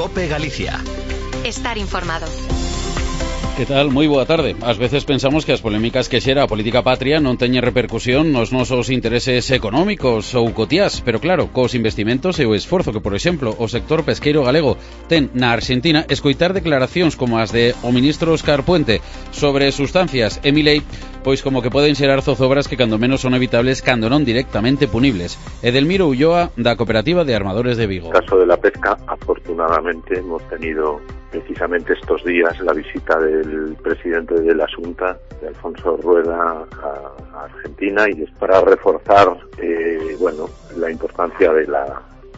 COPE Galicia. Estar informado. Que tal? Moi boa tarde. Ás veces pensamos que as polémicas que xera a política patria non teñen repercusión nos nosos intereses económicos ou cotiás, pero claro, cos investimentos e o esforzo que, por exemplo, o sector pesqueiro galego ten na Argentina, escoitar declaracións como as de o ministro Óscar Puente sobre sustancias e Milei, pois como que poden xerar zozobras que cando menos son evitables cando non directamente punibles. Edelmiro Ulloa, da Cooperativa de Armadores de Vigo. En el caso de la pesca, afortunadamente hemos tenido precisamente estos días la visita del presidente de la Junta, de Alfonso Rueda, a Argentina, y es para reforzar la importancia de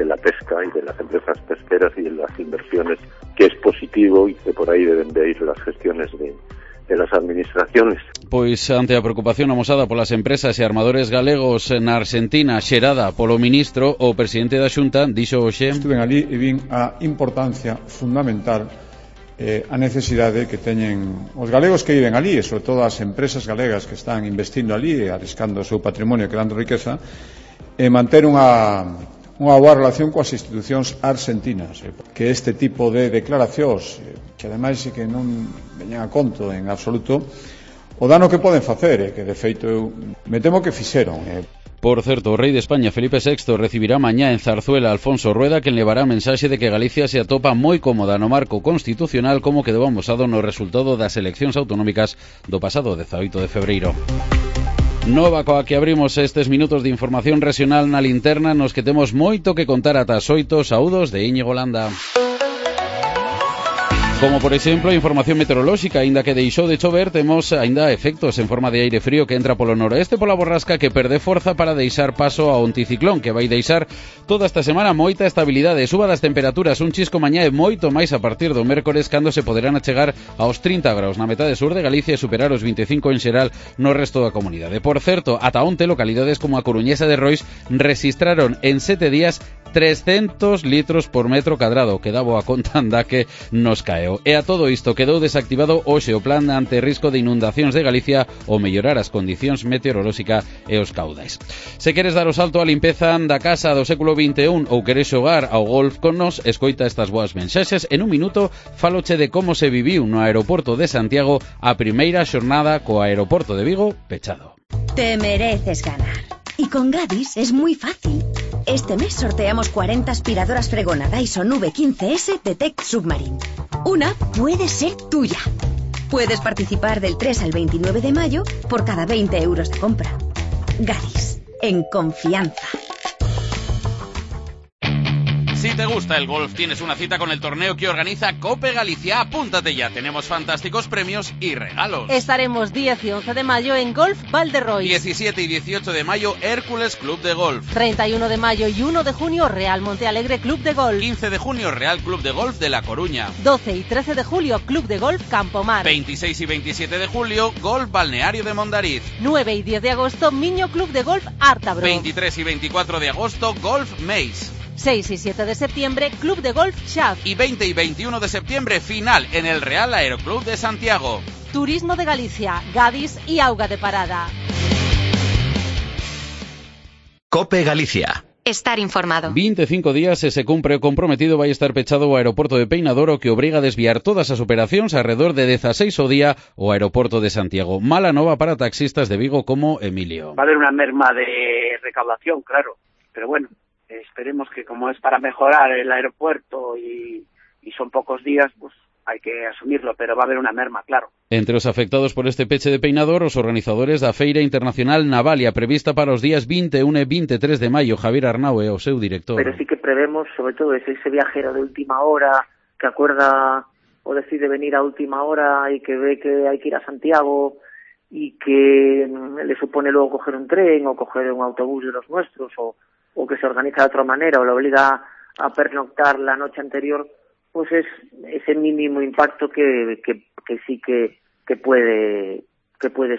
la pesca y de las empresas pesqueras y de las inversiones, que es positivo y que por ahí deben de ir las gestiones de las administraciones. Pois ante a preocupación amosada polas empresas e armadores galegos na Argentina xerada polo ministro, o presidente da Xunta dixo hoxe: estuven ali e vin a importancia fundamental, a necesidade que teñen os galegos que viven ali, e sobre todo as empresas galegas que están investindo ali e arriscando o seu patrimonio, creando riqueza, e manter unha boa relación coas institucións argentinas, que este tipo de declaracións, que ademais que non veñen a conto en absoluto o dano que poden facer, que de feito eu me temo que fixeron. Por certo, o rei de España, Felipe VI, recibirá mañá en Zarzuela a Alfonso Rueda, quen levará a mensaxe de que Galicia se atopa moi cómoda no marco constitucional como quedou amosado no resultado das eleccións autonómicas do pasado 18 de febreiro. Nova coa que abrimos estes minutos de información regional na linterna, nos que temos moito que contar ata as 8. Saúdos de Íñigo Landa. Como, por exemplo, a información meteorolóxica, aínda que deixou de chover, temos aínda efectos en forma de aire frío que entra polo noroeste pola borrasca que perde forza para deixar paso ao anticiclón, que vai deixar toda esta semana moita estabilidade, suba das temperaturas, un chisco mañá e moito máis a partir do mércores, cando se poderán achegar aos 30 graus na metade sur de Galicia e superar os 25 en xeral no resto da comunidade. Por certo, ata onte localidades como a Coruñesa de Rois registraron en 7 días 300 litros por metro cadrado, que dá boa conta anda que nos caeu. E a todo isto quedou desactivado hoxe o plan ante risco de inundacións de Galicia ou mellorar as condicións meteorolóxicas e os caudais. Se queres dar o salto á limpeza da casa do século XXI ou queres xogar ao golf con nos, escoita estas boas mensaxes. En un minuto faloche de como se viviu no aeroporto de Santiago a primeira xornada co aeroporto de Vigo pechado. Te mereces ganar. Y con Gadis es muy fácil. Este mes sorteamos 40 aspiradoras Fregona Dyson V15S de Tech Submarine. Una puede ser tuya. Puedes participar del 3 al 29 de mayo por cada 20 euros de compra. Gadis, en confianza. Si te gusta el golf, tienes una cita con el torneo que organiza COPE Galicia. Apúntate ya, tenemos fantásticos premios y regalos. Estaremos 10 y 11 de mayo en Golf Valderrois. 17 y 18 de mayo, Hércules Club de Golf. 31 de mayo y 1 de junio, Real Monte Alegre Club de Golf. 15 de junio, Real Club de Golf de La Coruña. 12 y 13 de julio, Club de Golf Campomar. 26 y 27 de julio, Golf Balneario de Mondariz. 9 y 10 de agosto, Miño Club de Golf Ártabro. 23 y 24 de agosto, Golf Meis. 6 y 7 de septiembre, Club de Golf Xaf. Y 20 y 21 de septiembre, final en el Real Aeroclub de Santiago. Turismo de Galicia, Gadis y Auga de Parada. COPE Galicia. Estar informado. 25 días e se cumpre o comprometido vai estar pechado o aeroporto de Peinador, o que obriga a desviar todas as operacións alrededor de 16 ao día o aeroporto de Santiago. Mala nova para taxistas de Vigo como Emilio. Va a haber una merma de recaudación, claro, pero bueno, esperemos que, como es para mejorar el aeropuerto y son pocos días, pues hay que asumirlo, pero va a haber una merma, claro. Entre os afectados por este peche de Peinador, os organizadores da Feira Internacional Navalia, prevista para os días 21 e 23 de maio. Javier Arnau é o seu director. Pero sí que prevemos, sobre todo, ese viajero de última hora que acuerda o decide venir a última hora y que ve que hay que ir a Santiago y que le supone luego coger un tren o coger un autobús de los nuestros o que se organiza de otra manera o le obliga a pernoctar la noche anterior, pues es ese mínimo impacto que sí que puede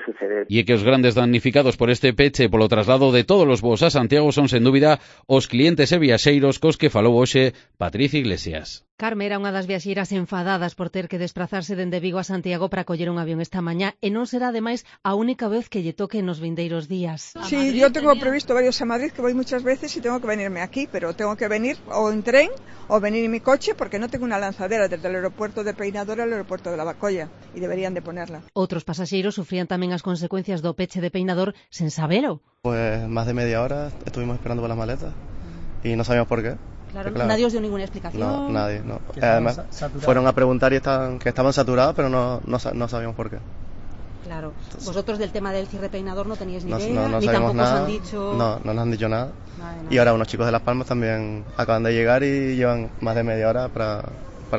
suceder. E que os grandes damnificados por este peche polo traslado de todos os voos a Santiago son, sen dúbida, os clientes e viaxeiros cos que falou hoxe Patricia Iglesias. Carme era unha das viaxeiras enfadadas por ter que desplazarse dende Vigo a Santiago para coller un avión esta mañá e non será ademais a única vez que lle toque nos vindeiros días. Sí, yo tengo previsto varios a Madrid, que voy muchas veces y tengo que venirme aquí, pero tengo que venir o en tren o venir en mi coche porque no tengo una lanzadera desde el aeropuerto de Peinador al aeropuerto de Lavacolla y deberían de ponerla. Outros pasaxeiros sufrían tamén as consecuencias do peche de Peinador sen sabelo. Pues más de media hora estuvimos esperando por las maletas y no sabíamos por qué. Claro, nadie os dio ninguna explicación. No, nadie, no. Además, fueron a preguntar y que estaban saturados, pero no sabíamos por qué. Claro. Vosotros del tema del cierre Peinador no teníais ni idea, no ni sabíamos tampoco nada, os han dicho... No nos han dicho nada. Y ahora unos chicos de Las Palmas también acaban de llegar y llevan más de media hora para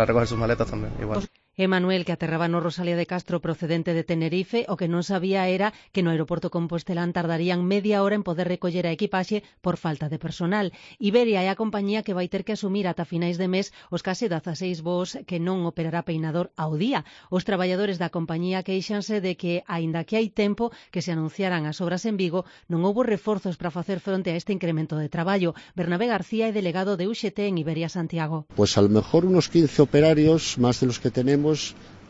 recoger sus maletas también, igual. Emanuel, que aterraba no Rosalía de Castro procedente de Tenerife, o que non sabía era que no aeroporto Compostelán tardarían media hora en poder recoller a equipaxe por falta de personal. Iberia é a compañía que vai ter que asumir ata finais de mes os case 16 voos que non operará Peinador ao día. Os traballadores da compañía queixanse de que, aínda que hai tempo que se anunciaran as obras en Vigo, non houbo reforzos para facer fronte a este incremento de traballo. Bernabé García é delegado de UGT en Iberia Santiago. Pues a lo mejor unos 15 operarios más de los que tenemos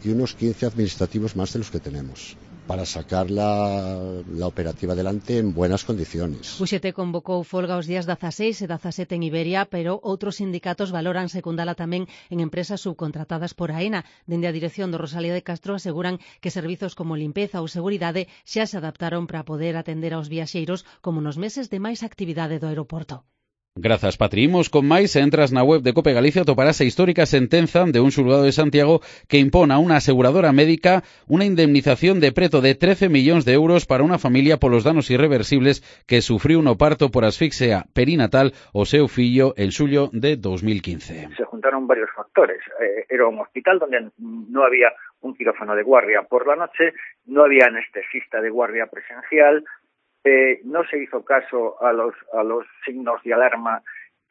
y unos 15 administrativos más de los que tenemos para sacar la operativa adelante en buenas condiciones. UGT convocou folga os días 16 e 17 en Iberia, pero outros sindicatos valoran secundala tamén en empresas subcontratadas por AENA. Dende a dirección do Rosalía de Castro aseguran que servizos como limpeza ou seguridade xa se adaptaron para poder atender aos viaxeiros como nos meses de máis actividade do aeroporto. Grazas, Patri. Imos con máis. Se entras na web de Cope Galicia toparás a histórica sentenza de un xulgado de Santiago que impón a unha aseguradora médica unha indemnización de preto de 13 millóns de euros para unha familia polos danos irreversibles que sufriu no parto por asfixia perinatal o seu fillo en xullo de 2015. Se juntaron varios factores. Era un hospital donde no había un quirófano de guardia por la noche, no había anestesista de guardia presencial, no se hizo caso a los signos de alarma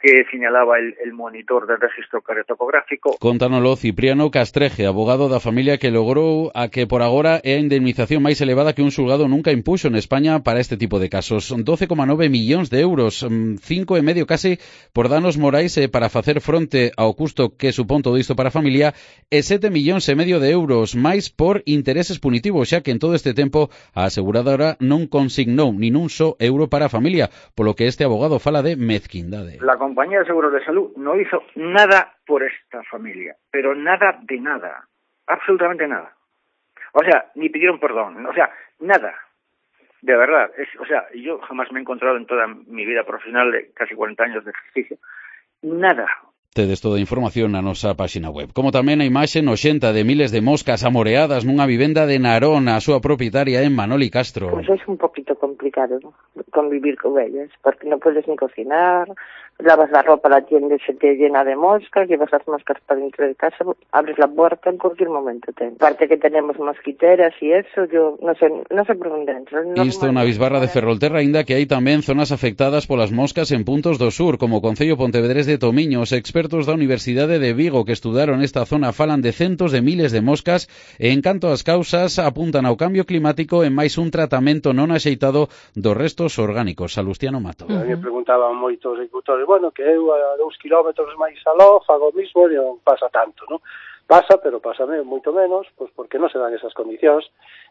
que señalaba el monitor del registro cardiotocográfico. Contánoslo Cipriano Castreje, abogado da familia que logrou a que por agora é a indemnización máis elevada que un xulgado nunca impuxo en España para este tipo de casos. 12,9 millóns de euros, 5,5 case por danos morais para facer fronte ao custo que supón todo isto para a familia e 7,5 millóns de euros máis por intereses punitivos, xa que en todo este tempo a aseguradora non consignou nin un só euro para a familia, polo que este abogado fala de mezquindade. La Compañía de Seguros de Salud no hizo nada por esta familia, pero nada de nada, absolutamente nada. O sea, ni pidieron perdón, o sea, nada, de verdad. Yo jamás me he encontrado en toda mi vida profesional de casi 40 años de ejercicio, nada. Tedes toda a información na nosa páxina web. Como tamén a imaxe noxenta de miles de moscas amoreadas nunha vivenda de Narón, a súa propietaria en Manoli Castro. Pues es un poquito complicado, ¿no?, convivir con ellas, porque no puedes ni cocinar, lavas la ropa, la tienda se te llena de moscas, llevas las moscas para dentro de casa, abres la puerta en cualquier momento. Aparte que tenemos mosquiteras y eso, yo no sé por dónde entro. Isto na Bisbarra de Ferrolterra, aínda que hai tamén zonas afectadas polas moscas en puntos do sur, como o Concello Pontevedrés de Tomiño. Os expertos da Universidade de Vigo que estudaron esta zona falan de centos de miles de moscas e en canto ás causas apuntan ao cambio climático e máis un tratamento non axeitado dos restos orgánicos. Salustiano Mato. A mí preguntaban moitos agricultores, que eu a 2 kilómetros máis aló fago o mismo e non pasa tanto, non? Pasa, pero pasa moito menos, pois porque non se dan esas condicións.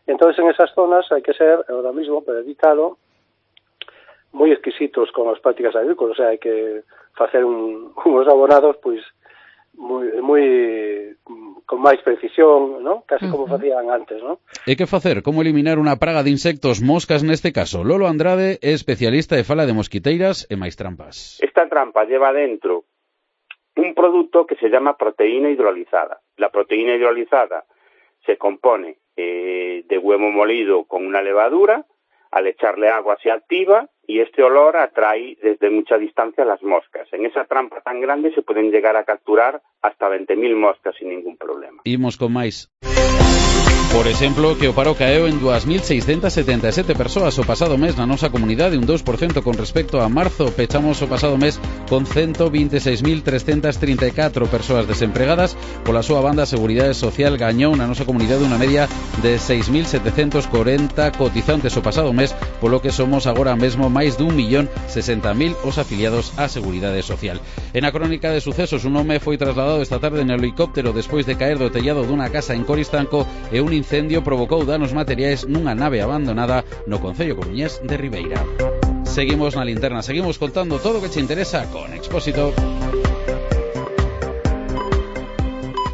Entonces en esas zonas hai que ser, ahora mismo, para evitalo, moi exquisitos con as prácticas agrícolas, o sea, hai que facer uns abonados, pois, moi con máis precisión, ¿no?, casi como facían antes, ¿no? E que facer? Como eliminar unha praga de insectos, moscas neste caso? Lolo Andrade é especialista e fala de mosquiteiras e máis trampas. Esta trampa lleva dentro un producto que se llama proteína hidrolizada. La proteína hidrolizada se compone de huevo molido con una levadura. Al echarle agua se activa y este olor atrae desde mucha distancia a las moscas. En esa trampa tan grande se pueden llegar a capturar hasta 20.000 moscas sin ningún problema. Imos con máis. Por exemplo, que o paro caeu en 2.677 persoas o pasado mes na nosa comunidade, un 2% con respecto a marzo. Pechamos o pasado mes con 126.334 persoas desempregadas. Pola súa banda, a Seguridade Social gañou na nosa comunidade unha media de 6.740 cotizantes o pasado mes, polo que somos agora mesmo máis de 1.060.000 os afiliados á Seguridade Social. En a crónica de sucesos, un home foi trasladado esta tarde en helicóptero despois de caer do tellado dunha casa en Coristanco e un incendio provocou danos materiais nunha nave abandonada no concello coruñés de Ribeira. Seguimos na linterna, seguimos contando todo o que che interesa con Expósito.